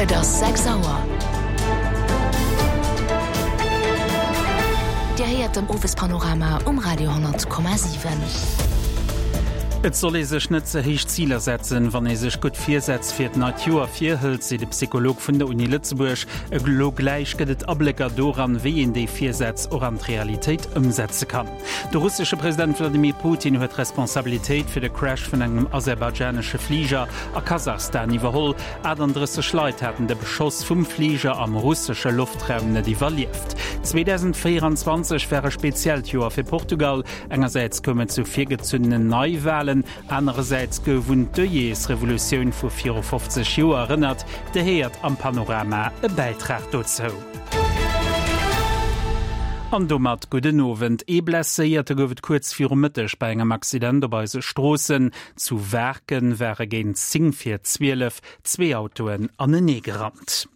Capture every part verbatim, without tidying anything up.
Et ass sechs Auer. Dir héiert den Owespanorama um Radio honnert Komma siwen. Et soll ee sech net ze héich Ziler setzen, wann ee sech gutt Virsätz fir d'neit Joer virhëlt, seet e Psycholog vun der Uni Lëtzebuerg. Elo gläich gëtt et Ablécker doran, wéi een déi Virsätz och an d'Realitéit ëmsetze kann. De russesche President Wladimir Putin huet d'Responsabilitéit fir de Crash vun engem aserbaidschanesche Fliger a Kasachstan iwwerholl. achtundrësseg Leit haten de Beschoss vum Fliger am russesche Loftraum net iwwerlieft. zweedausendvéieranzwanzeg war e speziellt Joer fir Portugal. Engersäits koum et zu virgezunnenen Neiwalen, anerersäits gouf un d'Œillets-Revolutioun vu viru fofzeg Joer erënnert. Dir héiert am Panorama e Bäitrag dozou. An domat gudden Owend. Ee Blesséierte gouf et kuerz viru Mëtteg bei engem Accident op eise Stroossen. Zu Waarken ware géint zéng vir zwielef zwee Autoen aneneegerannt.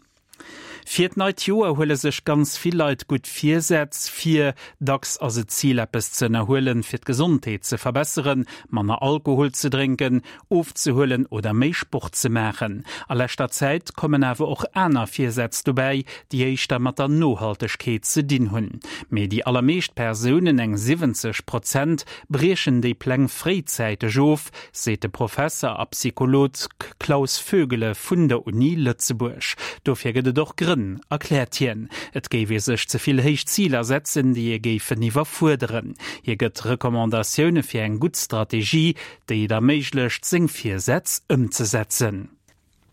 Fir d'neit Joer huele sech ganz vill Leit gutt Virsätz vir. Dacks ass et d'Zil, eppes ze ënnerhuelen, fir d'Gesondheet ze verbesseren, manner Alkohol ze drénken, ofzehuelen oder méi Sport ze maachen. A leschter Zäit kommen awer och aner Virsätz dobäi, déi éischter mat der Nohaltegkeet ze dinn hunn. Mee déi allermeescht Persounen, eng siwwenzeg Prozent, briechen déi Pläng fréizäiteg of, seet de Professer a Psycholog Klaus Vögele vun der Uni Lëtzebuerg. Dofir gëtt et och Grënn, erkläert hien. Et géif ee sech ze vill héich Ziler setzen, déi ee géifen iwwerfuerderen. Hie gëtt Recommandatioune fir eng gutt Strategie, déi et erméiglecht, seng Virsätz ëmzesetzen.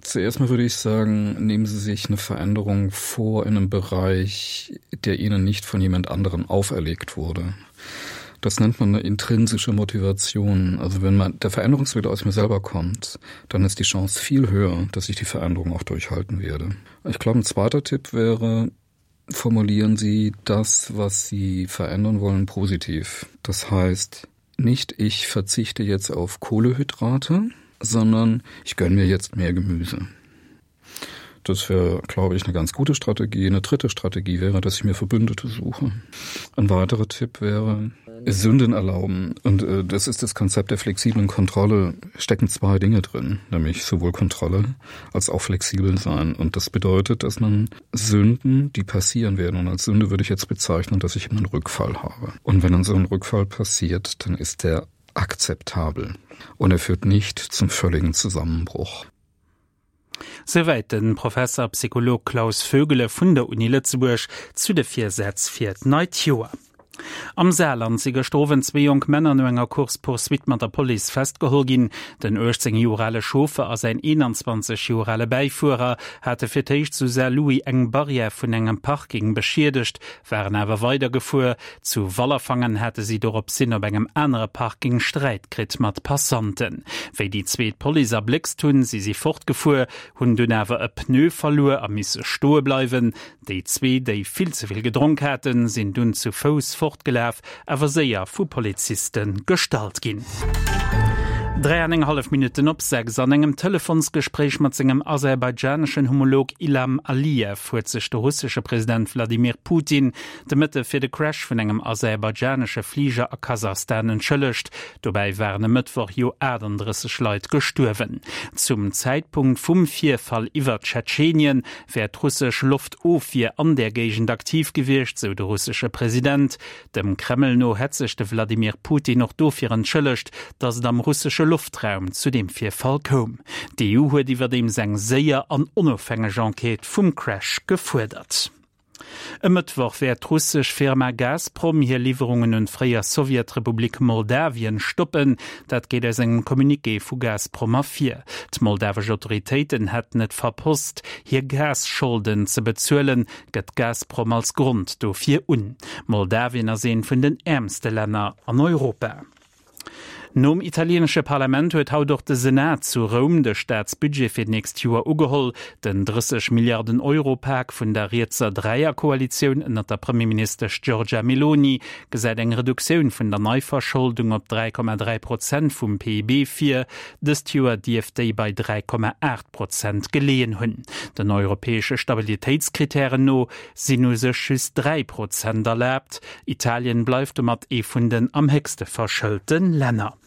Zuerst mal würde ich sagen, nehmen Sie sich eine Veränderung vor in einem Bereich, der Ihnen nicht von jemand anderem auferlegt wurde. Das nennt man eine intrinsische Motivation. Also wenn man der Veränderungswille aus mir selber kommt, dann ist die Chance viel höher, dass ich die Veränderung auch durchhalten werde. Ich glaube, ein zweiter Tipp wäre, formulieren Sie das, was Sie verändern wollen, positiv. Das heißt, nicht ich verzichte jetzt auf Kohlehydrate, sondern ich gönne mir jetzt mehr Gemüse. Das wäre, glaube ich, eine ganz gute Strategie. Eine dritte Strategie wäre, dass ich mir Verbündete suche. Ein weiterer Tipp wäre, Sünden erlauben. Und äh, das ist das Konzept der flexiblen Kontrolle. Stecken zwei Dinge drin, nämlich sowohl Kontrolle als auch flexibel sein. Und das bedeutet, dass man Sünden, die passieren werden, und als Sünde würde ich jetzt bezeichnen, dass ich immer einen Rückfall habe. Und wenn dann so ein Rückfall passiert, dann ist der akzeptabel. Und er führt nicht zum völligen Zusammenbruch. Souwäit de Professer a Psycholog Klaus Vögele vun der Uni Lëtzebuerg zu de Virsätz fir d'neit Joer. Am Saarland si gëschter Owend zwee jonk Männer no enger Course-poursuite mat der Police festgeholl ginn. Den uechtzéng Joer ale Chauffer a säin eenanzwanzeg Joer ale Bäifuerer hate fir d'éischt zu Saarlouis eng Barrière vun engem Parking beschiedegt, waren awer weidergefuer. Zu Wallerfangen hate si doropshin op engem anere Parking Sträit kritt mat Passanten. Wéi déi zwee d'Police erbléckst hunn, si si fortgefuer, hunn dunn awer e Pneu verluer a misse stoe bleiwen. Déi zwee, déi vill ze vill gedronk haten, sinn dunn zu Fouss fortgelaf, awer séier vu Poliziste gestallt ginn. Dräi an eng hallef Minutten op sechs. An engem Telefonsgespréich mat sengem aserbaidschaneschen Homolog Ilham Aliyev huet sech de russesche President Wladimir Putin de Mëtte fir de Crash vun engem aserbaidschanesche Fliger a Kasachstan entschëllegt. Dobäi waren e Mëttwoch jo achtundrësseg Leit gestuerwen. Zum Zäitpunkt vum Virfall iwwer Tschetschenien wär d'russesch Loftofwier an där Géigend aktiv gewiescht, sou de russesche President. Dem Kreml no hätt sech de Wladimir Putin och dofir entschëllegt, datt et am russesche Loftraum zu deem Virfall koum. D'E U huet iwwerdeems eng séier an onofhängeg Enquête vum Crash gefuerdert. E Mëttwoch wäert d'russesch Firma Gazprom hir Liwwerungen un d'fréier Sowjetrepublik Moldawien stoppen. Dat geet aus engem Communiqué vu Gazprom ervir. D'moldawesch Autoritéiten hätten et verpasst, hir Gasscholden ze bezuelen, gëtt Gazprom als Grond dofir un. Moldawien ass eent vun den äermste Länner an Europa. Nom italieenesche Parlament huet haut och de Senat zu Roum de Staatsbudget fir d'nächst Joer ugeholl. Den drësseg Milliarden Euro Pak vun der rietser Dräierkoalitioun ënnert der Premierministesch Giorgia Meloni gesäit eng Reduktioun vun der Neiverscholdung op dräi Komma dräi Prozent vum P I B vir. Dëst Joer dierft déi bei dräi Komma aacht Prozent geleeën hunn. Den europäesche Stabilitéitskritären no sinn u sech just dräi Prozent erlaabt. Italien bleift domat ee vun den am héchste verschëlte Länner.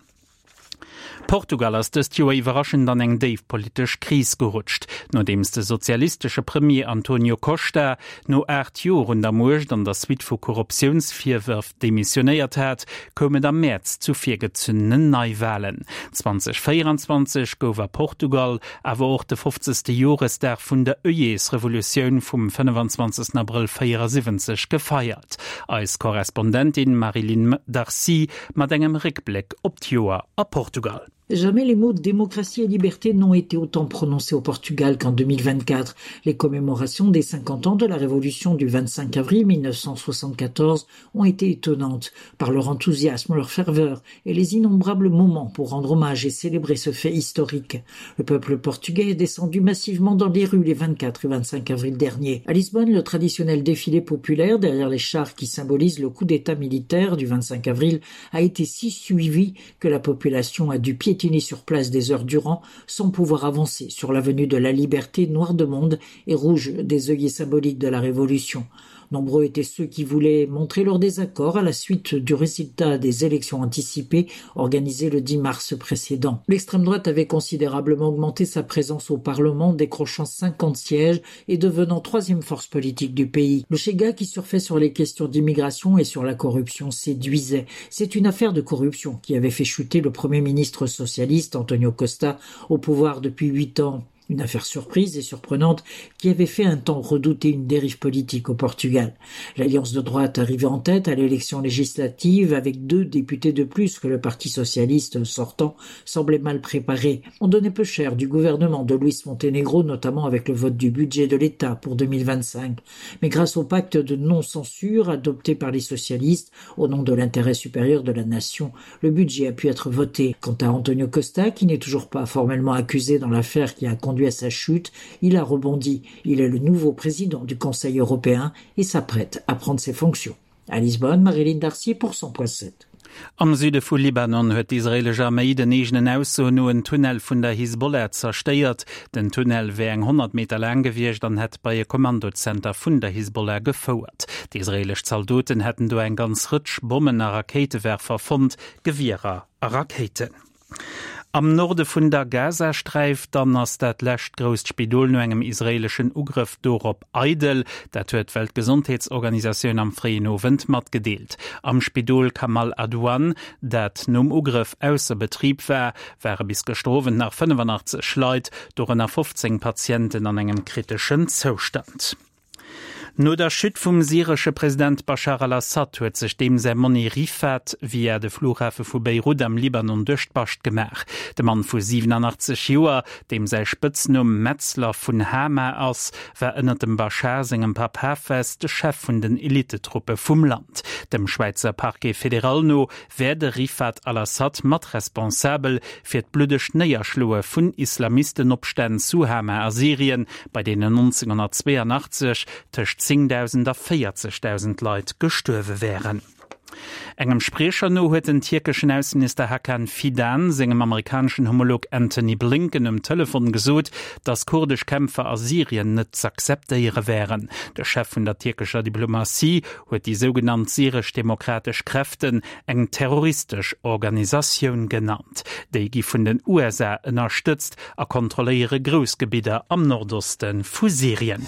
Portugal ass dëst Joer iwwerraschend an eng déif politesch Kris gerutscht, nodeems de sozialistesche Premier Antonio Costa no aacht Joer un der Muecht an der Suite vu Korruptiounsvirwërf demissionéiert hat, koum et am Mäerz zu virgezunnenen Neiwalen. zweitausendvéierundzwanzeg gouf a Portugal awer och de fofzegste Joresdag vun der Œillets-Revolutioun vum fënnefanzwanzegsten Abrëll véierasiwwenzeg gefeiert. Eis Korrespondentin Marie-Line Darcy mat engem Réckbléck op d'Joer a Portugal. Jamais les mots démocratie et liberté n'ont été autant prononcés au Portugal qu'en deux mille vingt-quatre. Les commémorations des cinquante ans de la Révolution du vingt-cinq avril mille neuf cent soixante-quatorze ont été étonnantes par leur enthousiasme, leur ferveur et les innombrables moments pour rendre hommage et célébrer ce fait historique. Le peuple portugais est descendu massivement dans les rues les vingt-quatre et vingt-cinq avril dernier. À Lisbonne, le traditionnel défilé populaire derrière les chars qui symbolisent le coup d'état militaire du vingt-cinq avril a été si suivi que la population a dû piétiner sur place des heures durant sans pouvoir avancer sur l'avenue de la Liberté, noire de monde et rouge des œillets symboliques de la Révolution. Nombreux étaient ceux qui voulaient montrer leur désaccord à la suite du résultat des élections anticipées organisées le dix mars précédent. L'extrême droite avait considérablement augmenté sa présence au Parlement, décrochant cinquante sièges et devenant troisième force politique du pays. Le Chega, qui surfait sur les questions d'immigration et sur la corruption, séduisait. C'est une affaire de corruption qui avait fait chuter le premier ministre socialiste Antonio Costa au pouvoir depuis huit ans. Une affaire surprise et surprenante qui avait fait un temps redouter une dérive politique au Portugal. L'alliance de droite arrivait en tête à l'élection législative avec deux députés de plus que le Parti socialiste sortant semblait mal préparé. On donnait peu cher du gouvernement de Luis Montenegro, notamment avec le vote du budget de l'État pour deux mille vingt-cinq. Mais grâce au pacte de non-censure adopté par les socialistes au nom de l'intérêt supérieur de la nation, le budget a pu être voté. Quant à Antonio Costa, qui n'est toujours pas formellement accusé dans l'affaire qui a conduit à sa chute, il a rebondi. Il est le nouveau président du Conseil européen et s'apprête à prendre ses fonctions. À Lisbonne, Marie-Line Darcy pour cent point sept. Am Süde vu Libanon huet d'israelesch Arméi den eegenen Aussoen no en Tunnel vun der Hisbollah zerstéiert. Den Tunnel wär eng honnert Meter laang gewiescht an hätt bei e Kommandozenter vun der Hisbollah gefouert. D'israelesch Zaldoten hätten do eng ganz Rëtsch Bommen a Rakéitewerfer fonnt, Gewierer a Rakéiten. Am Norde vun der Gazasträif dann ass dat lescht grousst Spidol no engem israeleschen Ugrëff dorop eidel. Dat huet d'Weltgesondheetsorganisatioun am fréien Owend matgedeelt. Am Spidol Kamal Adwan, dat nom Ugrëff ausser Betrib war, ware bis gëschter Owend nach fënnefenachtzeg Leit, dorënner fofzéng Patienten an engem kriteschen Zoustand. No der Chute vum syresche President Bashar al-Assad huet sech deem säi Monni Rifat via de Flughafe vu Beirut am Libanon duerch d'Bascht gemaach. De Mann vu siewenundachtzeg Joer, deem säi Spëtznumm Metzler vun Hama ass, war ënner dem Bashar sengem Papp Hafez de Chef vun den Elitetruppe vum Land. Dem Schwäizer Parquet fédéral no wär de Rifat al-Assad mat responsabel fir d'bluddegt Néierschloe vun Islamistenopstänn zu Hama a Syrien, bei deenen neunzehnhundertzweiundachtzeg tëscht zéngdausend a véierzegdausend Leit gestuerwe wären. Engem Spriecher no huet den tierkeschen Ausseminister Hakan Fidan sengem amerikaneschen Homolog Antony Blinken um Telefon gesot, dass kurdesch Kämpfer a Syrien net z'akzeptéiere wären. De Chef vun der tierkescher Diplomatie huet déi sougenannt syresch-demokratesch Kräften eng terroristesch Organisatioun genannt. Déi gi vun den U S A ënnerstëtzt a kontrolléiere Groussgebidder am Nordoste vu Syrien.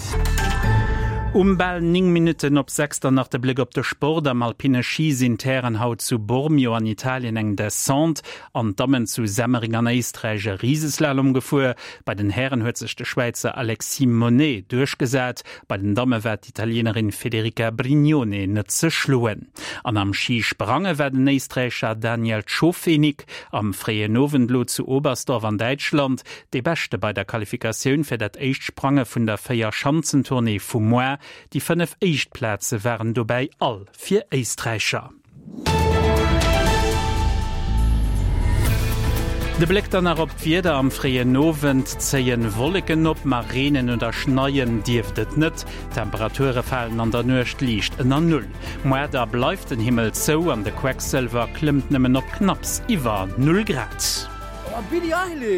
Um bal ning Minuten op sechs dann nach de Blick op de Sport. Am alpine Ski sinn d'Hären haut zu Bormio an Italien eng Descente an d'Dammen zu Semmering an Éisträich e Rieseslalom gefuer. Bei den Hären huet sech de Schwäizer Alexis Monney duerchgesat. Bei den Damme war d'Italienerin Federica Brignone net ze schloen. An am Skisprange war den Éisträicher Daniel Tschofenig am fréien Owend lo zu Oberstdorf an Däitschland de Beschte bei der Qualifikatioun fir dat éischt Sprange vun der Véierschanzentournée vum Mois. Die fënnef Éischtplätze waren dobäi all fir Éisträicher. De Blick dann nach op d'Wieder. Am fréien Owend zéien Wolleken op, ma reenen oder schneien dierft et net. Temperature falen an der Nuecht liicht ënner Null. Muer da bleift den Himmel zou an de Quecksëlwer klëmmt nëmmen op knapps iwwer null Grad. Oh, Billie Eilish!